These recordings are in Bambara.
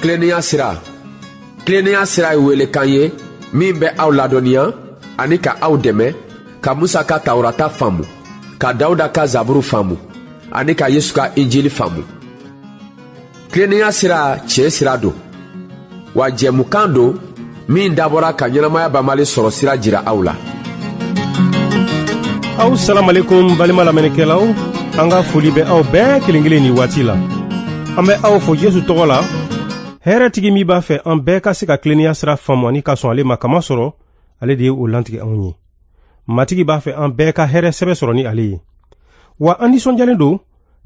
Tilennenya sira. Tilennenya sira ye welekan ye min bɛ aw ladɔnniya ani ka aw dɛmɛ ka Musa ka Tawurata faamu, ka Dawuda ka Zaburu faamu ani ka Yesu ka Injili faamu. Tilennenya sira tiɲɛ sira don, wa jɛmukan don min dabɔra ka ɲɛnamaya banbali sɔrɔ sira jira aw la. Aw salamalekum balima lamɛnnikɛlaw, an ka foli bɛ aw bɛɛ kelen kelen nin waati la. An bɛ aw fo Yesu tɔgɔ la, hɛrɛtigi min b'a fɛ an bɛɛ ka se ka tilennenya sira faamu ani ka sɔn ale ma, kamasɔrɔ ale de ye o lantigɛ anw ye. Matigi b'a fɛ an bɛɛ ka hɛrɛ sɛbɛ sɔrɔ ni ale ye. Wa an nisɔndiyalen don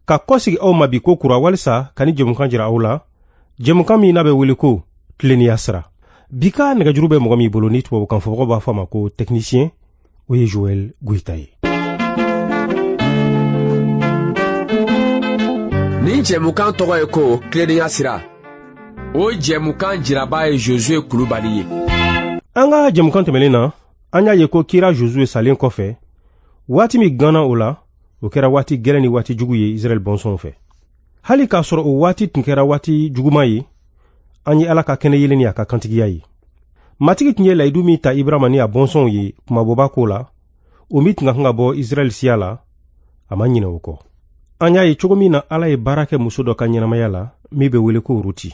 ka kɔsegi aw ma bi ko kura walisa ka ni jɛmukan jira aw la, jɛmukan min n'a bɛ wele ko tilennenya sira. Bi ka nɛgɛjuru bɛ mɔgɔ min bolo ni tubabukan fɔbagaw b'a fɔ a ma ko technicien, o ye Joël Goïta ye. Nin jɛmukan tɔgɔ ye ko tilennenya sira. O jɛmukan jiraba ye Josué Kulubali ye. An ka jɛmukan tɛmɛnen na, an y'a ye ko kira Josué salen kɔfɛ, waati min ganna o la, o kɛra waati gɛlɛn ni waati jugu ye Israɛl bɔnsɔnw fɛ. Hali k'a sɔrɔ o waati tun kɛra waati juguman ye, an ye Ala ka kɛnɛ yelen ni a ka kantigiya ye. Matigi tun ye layidu min ta Ibrahima ni a bɔnsɔnw ye kumabɔba ko la, o min tun ka kan ka bɔ Israɛl siya la, a ma ɲinɛ o kɔ. An y'a ye cogo min na Ala ye baara kɛ muso dɔ ka ɲɛnamaya la min bɛ wele ko Ruti.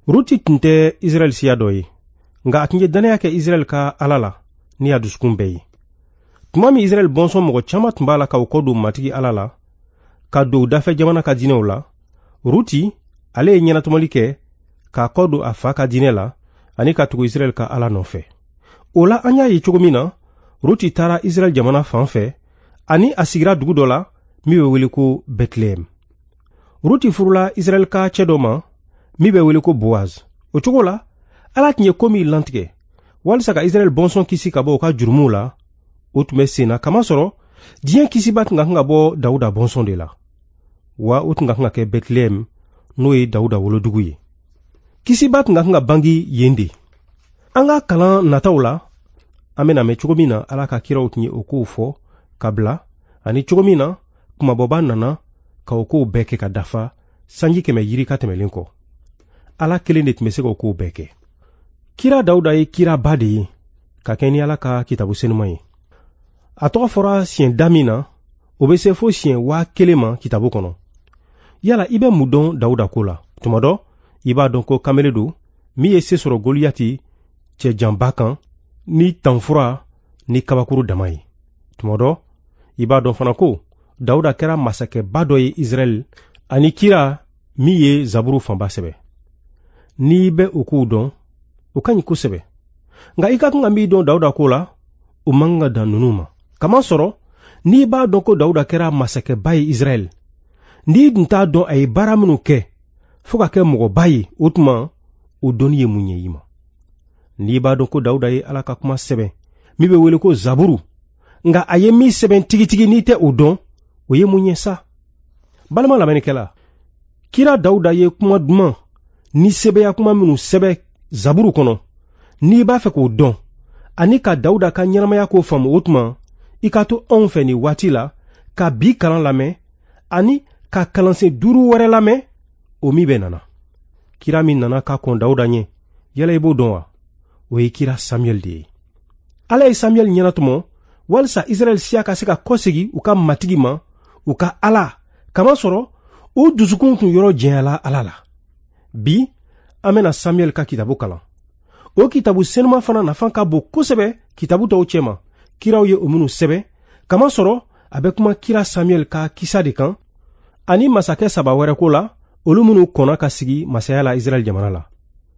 Ruti tun tɛ Israɛl siya dɔ ye, nka a tun ye dannaya kɛ Israɛl ka Ala la ni a dusukun bɛɛ ye. Tuma min Israɛl bɔnsɔn mɔgɔ caman tun b'a la ka u kɔ don Matigi Ala la, ka don u dafɛ jamana ka diinɛw la, Ruti ale ye ɲɛnatɔmɔli kɛ k'a kɔ don a fa ka diinɛ la ani ka tugu Israɛl ka Ala nɔfɛ. O la an y'a ye cogo min na, Ruti taara Israɛl jamana fan fɛ ani a sigira dugu dɔ la min bɛ wele ko Bɛtilɛhɛm. Ruti furula Israɛl ka cɛ dɔ ma min bɛ wele ko Boaz. O cogo la, Ala tun ye ko min lantigɛ walisa ka Israɛl bɔnsɔn kisi ka bɔ u ka jurumuw la, o tun bɛ sen na, kamasɔrɔ diɲɛ kisiba tun ka kan ka bɔ Dawuda bɔnsɔn de la. Wa o tun ka kan ka kɛ Bɛtilɛhɛm, n'o ye Dawuda wolodugu ye. Kisiba tun ka kan ka bangi yen de. An ka kalan nataw la, an bɛna mɛn cogo min na Ala ka kiraw tun ye o kow fɔ ka bila, ani cogo min na kumabɔba nana ka o kow bɛɛ kɛ ka dafa sanji 100 yirika tɛmɛlen kɔ. Ala kelen de tun bɛ se k'o kow bɛɛ kɛ. Kira Dawuda ye kiraba de ye ka kɛ ni Ala ka kitabu senuman ye. A tɔgɔ fɔra siɲɛ da min na, o bɛ se fo siɲɛ 1000 ma kitabu kɔnɔ. Yala i bɛ mun dɔn Dawuda ko la? Tuma dɔ, i b'a dɔn ko kamele don min ye se sɔrɔ Goliyati cɛjanba kan ni tanfura ni kabakuru dama ye. Tuma dɔ, i b'a dɔn fana ko Dawuda kɛra masakɛba dɔ ye Israɛl ani kira min ye Zaburu fanba sɛbɛ. N'i bɛ o kow dɔn, o ka ɲi kosɛbɛ. Nka i ka kan ka min dɔn Dawuda ko la, o man kan ka dan ninnu ma. Kamasɔrɔ, n'i b'a dɔn ko Dawuda kɛra masakɛba ye Israɛl, n'i dun t'a dɔn a ye baara minnu kɛ fo ka kɛ mɔgɔba ye, o tuma o dɔnni ye mun ɲɛ i ma? N'i b'a dɔn ko Dawuda ye Ala ka kuma sɛbɛn min bɛ wele ko Zaburu, nka a ye min sɛbɛn tigitigi n'i tɛ o dɔn, o ye mun ɲɛ sa? Balima lamɛnnikɛla, kira Dawuda ye kuma duman ni sɛbɛya kuma minnu sɛbɛn Zaburu kɔnɔ, n'i b'a fɛ k'o dɔn ani ka Dawuda ka ɲɛnamaya ko faamu, o tuma i ka to anw fɛ nin waati la ka bi kalan lamɛn ani ka kalansen 5 wɛrɛ lamɛn o min bɛ nana. Kira min nana ka kɔn Dawuda ɲɛ, yala i b'o dɔn wa? O ye kira Samuɛl de ye. Ala ye Samuɛl ɲɛnatɔmɔ walisa Israɛl siya ka se ka kɔsegi u ka matigi ma, u ka Ala, kamasɔrɔ u dusukun tun yɔrɔ janyala Ala la. Bi, an bɛna Samuɛl ka kitabu kalan. O kitabu senuma fana nafa ka bon kosɛbɛ kitabu tɔw cɛma, kiraw ye o minnu sɛbɛn, kamasɔrɔ a bɛ kuma kira Samuɛl ka kisa de kan, ani masakɛ 3 wɛrɛ ko la, olu minnu kɔnna ka sigi masaya la Israɛl jamana la,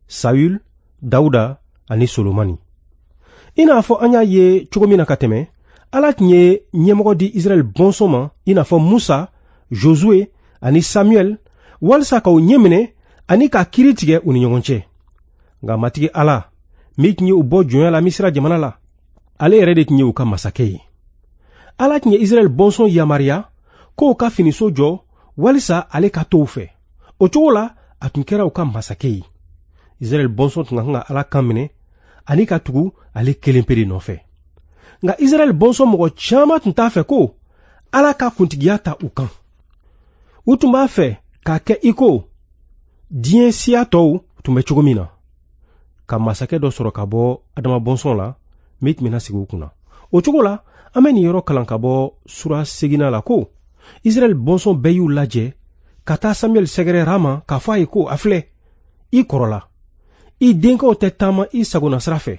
Saül, Dawuda ani Solomani. I n'a fɔ an y'a ye cogo min na ka tɛmɛ, Ala tun ye ɲɛmɔgɔ di Israɛl bɔnsɔn ma, i n'a fɔ Musa, Josue ani Samuɛl, walisa k'u ɲɛminɛ ani ka kiiri tigɛ u ni ɲɔgɔn cɛ. Nka Matigi Ala, min tun ye u bɔ jɔnya la Misira jamana la, ale yɛrɛ de tun ye u ka masakɛ ye. Ala tun ye Israɛl bɔnsɔn yamaruya k'o ka finiso jɔ walisa ale ka to u fɛ. O cogo la, a tun kɛra u ka masakɛ ye. Israɛl bɔnsɔn tun ka kan ka Ala kan minɛ ani ka tugu ale kelen pe de nɔfɛ. Nka Israɛl bɔnsɔn mɔgɔ caman tun t'a fɛ ko Ala ka kuntigiya ta u kan. U tun b'a fɛ k'a kɛ i ko diɲɛ siya tɔw tun bɛ cogo min na, ka masakɛ dɔ sɔrɔ ka bɔ Adama bɔnsɔn la min tun bɛna sigi u kunna. O cogo la, an bɛ nin yɔrɔ kalan ka bɔ sura 8 la ko Israɛl bɔnsɔn bɛɛ y'u lajɛ ka taa Samuɛl sɛgɛrɛ Rama k'a fɔ a ye ko a filɛ, i kɔrɔla, i denkɛw tɛ taama i sagona sira fɛ.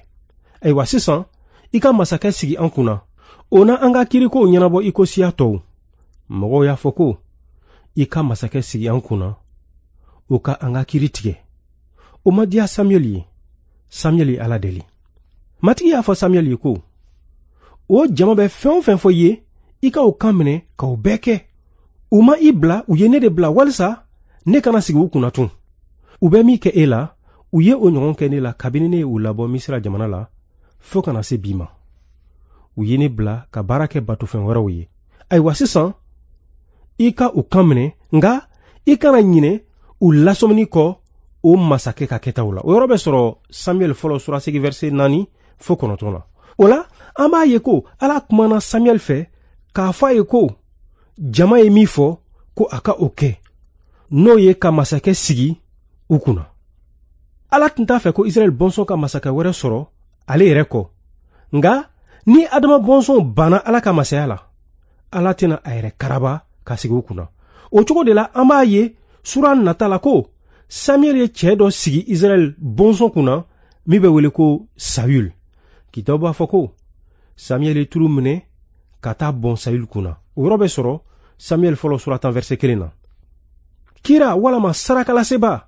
Ayiwa sisan, i ka masakɛ sigi an kunna, o na an ka kirikow ɲɛnabɔ i ko siya tɔw. Mɔgɔw y'a fɔ ko i ka masakɛ sigi an kunna, o ka an ka kiri tigɛ. O ma diya Samuɛl ye. Samuɛl ye Ala deli. Matigi y'a fɔ Samuɛl ye ko o jama bɛ fɛn o fɛn fɔ i ye, i ka o kan minɛ ka o bɛɛ kɛ. U ma i bila, u ye ne de bila walisa ne kana sigi u kunna tun. U bɛ min kɛ e la, u ye o ɲɔgɔn kɛ ne la kabini ne ye u labɔ Misira jamana la fo ka na se bi ma. U ye ne bila ka baara kɛ batofɛn wɛrɛw ye. Ayiwa sisan, i ka u kan minɛ, nka i kana ɲinɛ u lasɔmini kɔ o masakɛ ka kɛtaw la. O yɔrɔ bɛ sɔrɔ Samuɛl fɔlɔ sura 8 verset 4 fo 9 la. O la, an b'a ye ko Ala kumana Samuɛl fɛ k'a fɔ a ye ko jama ye min fɔ ko a ka o kɛ, n'o ye ka masakɛ sigi u kunna. Ala tun t'a fɛ ko Israɛl bɔnsɔn ka masakɛ wɛrɛ sɔrɔ ale yɛrɛ kɔ. Nka ni Adama bɔnsɔn banna Ala ka masaya la, Ala tɛna a yɛrɛ karaba ka sigi u kunna. O cogo de la, an b'a ye sura nata la ko Samuɛl ye cɛ dɔ sigi Israɛl bɔnsɔn kunna min bɛ wele ko Sayul. Kitabu b'a fɔ ko Samuɛl ye tulu minɛ ka taa bɔn Sayul kunna. O yɔrɔ bɛ sɔrɔ Samuɛl fɔlɔ sura 10 verset 1 na. Kira walama sarakalaseba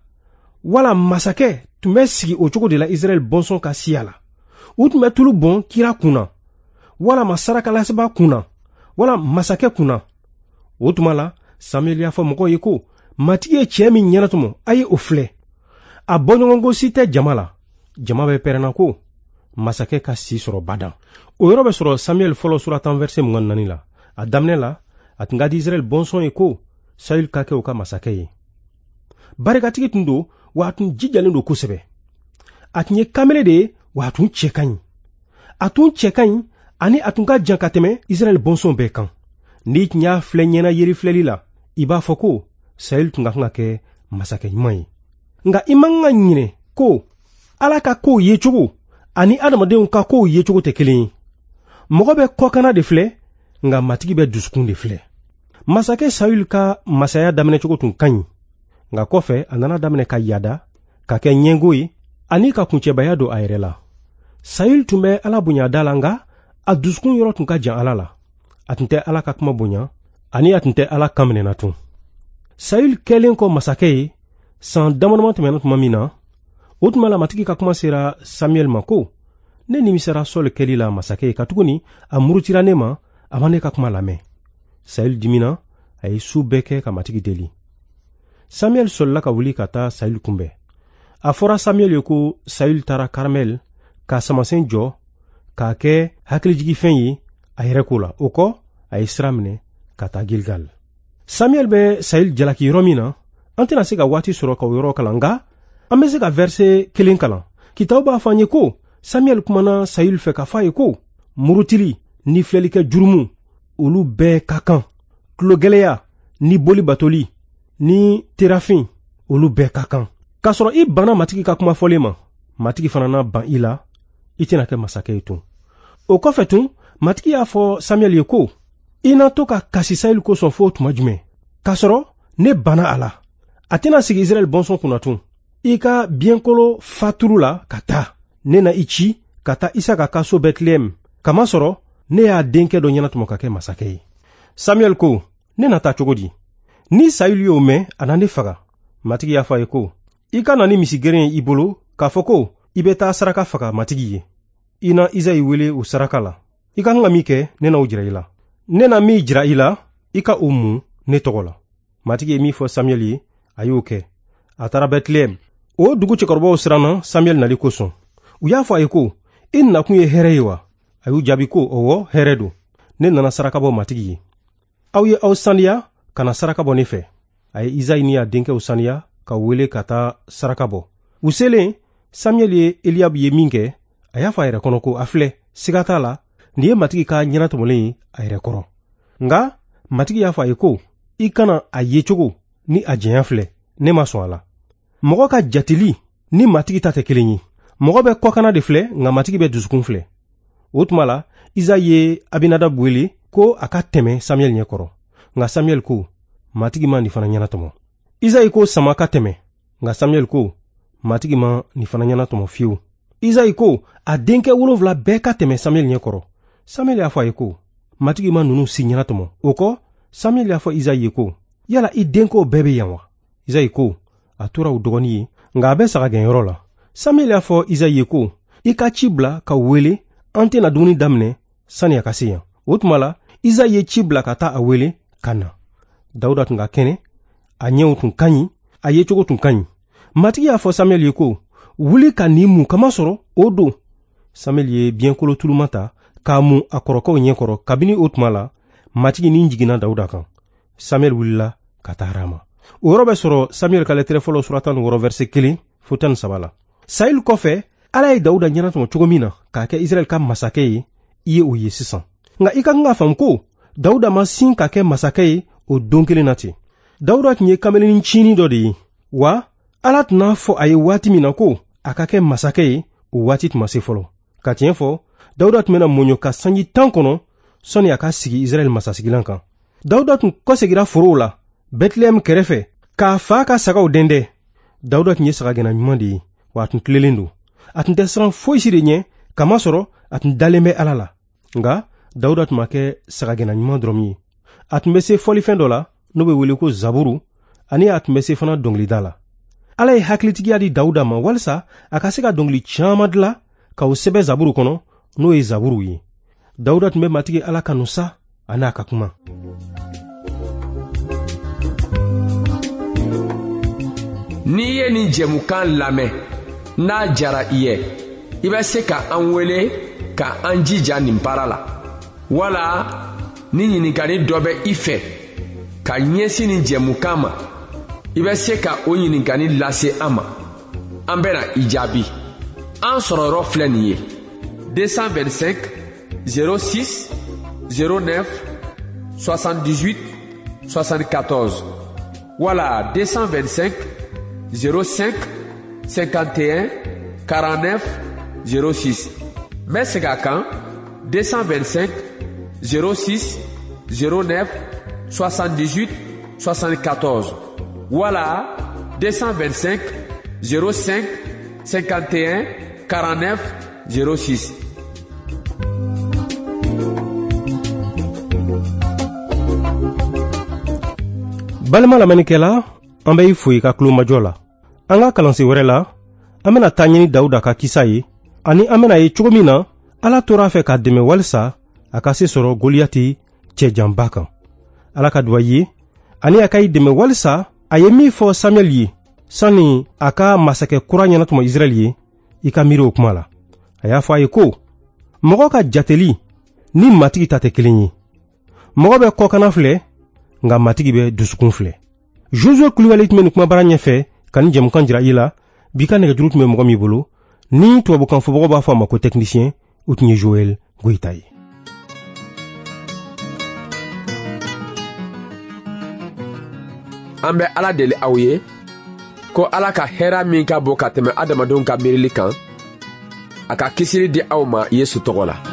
wala masakɛ tun bɛ sigi o cogo de la Israɛl bɔnsɔn ka siya la. U tun bɛ tulu bɔn kira kunna walama sarakalaseba kunna wala masakɛ kunna. O tuma la, Samuɛl y'a fɔ mɔgɔw ye ko Matigi ye cɛ min ɲɛnatɔmɔ, a ye o filɛ. A bɔɲɔgɔnko si tɛ jama la. Jama bɛ pɛrɛnna ko masakɛ ka si sɔrɔ badan. O yɔrɔ bɛ sɔrɔ Samuɛl fɔlɔ sura 10 verset 24 la. A daminɛ la, a tun ka di Israɛl bɔnsɔn ye ko Sayul ka kɛ u ka masakɛ ye. Barikatigi tun don, wa a tun jijalen don kosɛbɛ. A tun ye kamele de ye, wa a tun cɛ ka ɲi. A tun cɛ ka ɲi ani a tun ka jan ka tɛmɛ Israɛl bɔnsɔn bɛɛ kan. N'i tun y'a filɛ ɲɛna yeri filɛli la, i b'a fɔ ko Sayul tun ka kan ka kɛ masakɛ ɲuman ye. Nka i man kan ka ɲinɛ ko Ala ka kow yecogo ani adamadenw ka kow yecogo tɛ kelen ye. Mɔgɔ bɛ kɔkanna de filɛ, nka Matigi bɛ dusukun de filɛ. Masakɛ Sayul ka masaya daminɛcogo tun ka ɲi, nka kɔfɛ a nana daminɛ ka yada, ka kɛ ɲɛngo ye ani ka kuncɛbaya don a yɛrɛ la. Sayul tun bɛ Ala bonya da la, nka a dusukun yɔrɔ tun ka jan Ala la. A tun tɛ Ala ka kuma bonya ani a tun tɛ Ala kan minɛna tun. Sayul kɛlen kɔ masakɛ ye, san damadama tɛmɛna tuma min na, o tuma la Matigi ka kuma sera Samuɛl ma ko ne nimisara Sɔli kɛli la masakɛ ye, katuguni a murutira ne ma, a ma ne ka kuma lamɛn. Sayul dimina, a ye su bɛɛ kɛ ka Matigi deli. Samuɛl sɔlila ka wuli ka taa Sayul kunbɛn. A fɔra Samuɛl ye ko Sayul taara Karmɛl ka samasen jɔ k'a kɛ hakilijigifɛn ye a yɛrɛ ko la. O kɔ, a ye sira minɛ ka taa Gilgal. Samuɛl bɛ Sayul jalaki yɔrɔ min na, an tɛna se ka waati sɔrɔ ka o yɔrɔ kalan, nka an bɛ se ka verset 1 kalan. Kitabu b'a fɔ an ye ko Samuɛl kumana Sayul fɛ k'a fɔ a ye ko murutili ni filɛlikɛ jurumu, olu bɛɛ ka kan. Tulogɛlɛya ni boli batoli ni terafin, olu bɛɛ ka kan. K'a sɔrɔ i banna Matigi ka kuma fɔlen ma, Matigi fana na ban i la, i tɛna kɛ masakɛ ye tun. O kɔfɛ tun, Matigi y'a fɔ Samuɛl ye ko i na to ka kasi Sayul kosɔn fo tuma jumɛn? K'a sɔrɔ ne banna a la, a tɛna sigi Israɛl bɔnsɔn kunna tun. I ka biɲɛkolo faturu la ka taa. Ne na i ci ka taa Isaka ka so Bɛtilɛhɛm, kamasɔrɔ ne y'a denkɛ dɔ ɲɛnatɔmɔ ka kɛ masakɛ ye. Samuɛl ko, ne na taa cogo di? Ni Sayul y'o mɛn, a na ne faga. Matigi y'a fɔ a ye ko, i ka na ni misigɛrɛn ye i bolo k'a fɔ ko i bɛ taa saraka faga Matigi ye. I na Izayi wele o saraka la. I ka kan ka min kɛ, ne n'o jira i la. Ne na min jira i la, i ka o mun ne tɔgɔ la. Matigi ye min fɔ Samuɛl ye, a y'o kɛ. A taara Bɛtilɛhɛm. O dugu cɛkɔrɔbaw siranna Samuɛl nali kosɔn. U y'a fɔ a ye ko, i nakun ye hɛrɛ ye wa? A y'u jaabi ko, ɔwɔ, hɛrɛ don. Ne nana saraka bɔ Matigi ye. Aw ye aw saniya ka na saraka bɔ ne fɛ. A ye Izayi ni a denkɛw saniya ka wele ka taa saraka bɔ. U selen, Samuɛl ye Eliyabu ye min kɛ, a y'a fɔ a yɛrɛ kɔnɔ ko, a filɛ, siga t'a la, nin ye Matigi ka ɲɛnatɔmɔlen ye a yɛrɛ kɔrɔ. Nka Matigi y'a fɔ a ye ko, i kana a yecogo ni a janya filɛ, ne ma sɔn a la. Mɔgɔ ka jateli ni Matigi ta tɛ kelen ye. Mɔgɔ bɛ kɔkanna de filɛ, nka Matigi bɛ dusukun filɛ. O tuma la, Izayi ye Abinadab wele ko a ka tɛmɛ Samuɛl ɲɛkɔrɔ. Nka Samuɛl ko, Matigi ma nin fana ɲɛnatɔmɔ. Izayi ko Sama ka tɛmɛ, nka Samuɛl ko, Matigi ma nin fana ɲɛnatɔmɔ fiyewu. Izayi ko a denkɛ 7 bɛɛ ka tɛmɛ Samuɛl ɲɛkɔrɔ. Samuɛl y'a fɔ a ye ko, Matigi ma ninnu si ɲɛnatɔmɔ. O kɔ, Samuɛl y'a fɔ Izayi ye ko, yala i denkɛw bɛɛ bɛ yan wa? Izayi ko, a tora u dɔgɔnin ye, nka a bɛ sagagɛnyɔrɔ la. Samuɛl y'a fɔ Izayi ye ko, i ka ci bila ka wele, an tɛna dumuni daminɛ sani a ka se yan. O tuma la, Izayi ye ci bila ka taa a wele ka na. Dawuda tun ka kɛnɛ, a ɲɛw tun ka ɲi, a yecogo tun ka ɲi. Matigi y'a fɔ Samuɛl ye ko, wuli ka nin mun kamasɔrɔ o don. Samuɛl ye biɲɛkolo tuluma ta k'a mun a kɔrɔkɛw ɲɛkɔrɔ. Kabini o tuma la, Matigi ni jiginna Dawuda kan. Samuɛl wulila ka taa Rama. O yɔrɔ bɛ sɔrɔ Samuɛl ka lɛtɛrɛ fɔlɔ sura 16 verset 1 fo 13 la. Sayil kɔfɛ, Ala ye Dawuda ɲɛnatɔmɔ cogo min na k'a kɛ Israɛl ka masakɛ ye, i ye o ye sisan. Nka i ka kan k'a faamu ko Dawuda ma sin ka kɛ masakɛ ye o don kelen na ten. Dawuda tun ye kamelenin cinin dɔ de ye, wa Ala tun n'a fɔ a ye waati min na ko a ka kɛ masakɛ ye, o waati tun ma se fɔlɔ. Ka tiɲɛ fɔ, Dawuda tun bɛna mɔɲɔ ka sanji 10 kɔnɔ sɔnni a ka sigi Israɛl masasigilan kan. Dawuda tun kɔsegira forow la Bɛtilɛhɛm kɛrɛfɛ k'a fa ka sagaw dɛndɛ. Dawuda tun ye sagagɛnna ɲuman de ye, wa a tun tilelen don. A tun tɛ siran foyi si de ɲɛ, kamasɔrɔ a tun dalen bɛ Ala la. Nka Dawuda tun ma kɛ sagagɛnna ɲuman dɔrɔn ye. A tun bɛ se fɔlifɛn dɔ la n'o bɛ wele ko zaburu, ani a tun bɛ se fana dɔnkilida la. Ala ye hakilitigiya di Dawuda ma walisa a ka se ka dɔnkili caman dilan k'o sɛbɛn zaburu kɔnɔ, n'o ye zaburuw ye. Dawuda tun bɛ Matigi Ala kanu sa, a n'a ka kuma. N'i ye nin jɛmukan lamɛn, n'a diyara i ye, i bɛ se ka an wele ka an jija nin baara la. Wala ni ɲininkali dɔ bɛ i fɛ ka ɲɛsin nin jɛmukan ma, i bɛ se ka o ɲininkali lase an ma. An bɛna i jaabi. An sɔrɔ yɔrɔ filɛ nin ye: 225 06 09 78 74 wala 225 05 51 49 06. N bɛ segin a kan: 225 06 09 78 74 wala 225 05 51 49 06. Balima lamɛnnikɛla, an bɛ i fo i ka tulomajɔ la. An ka kalansen wɛrɛ la, an bɛna taa ɲini Dawuda ka kisa ye, ani an bɛna ye cogo min na Ala tora a fɛ k'a dɛmɛ walisa a ka se sɔrɔ Goliyati cɛjanba kan. Ala ka duba i ye, ani a ka i dɛmɛ walisa a ye min fɔ Samuɛl ye sani a ka masakɛ kura ɲɛnatɔmɔ Israɛl ye, i ka miiri o kuma la. A y'a fɔ a ye ko, mɔgɔ ka jateli ni Matigi ta tɛ kelen ye. Mɔgɔ bɛ kɔkanna filɛ, nka Matigi bɛ dusukun filɛ. Josué Kulibali tun bɛ nin kumabara ɲɛfɛ ka nin jɛmukan jira i la. Bi ka nɛgɛjuru tun bɛ mɔgɔ min bolo, ni tubabukan fɔbagaw b'a fɔ a ma ko technicien, o tun ye Joël Goyita ye. An bɛ Ala deli aw ye ko Ala ka hɛrɛ min ka bon ka tɛmɛ adamadenw ka miirili kan, a ka kisili di aw ma Yesu tɔgɔ la.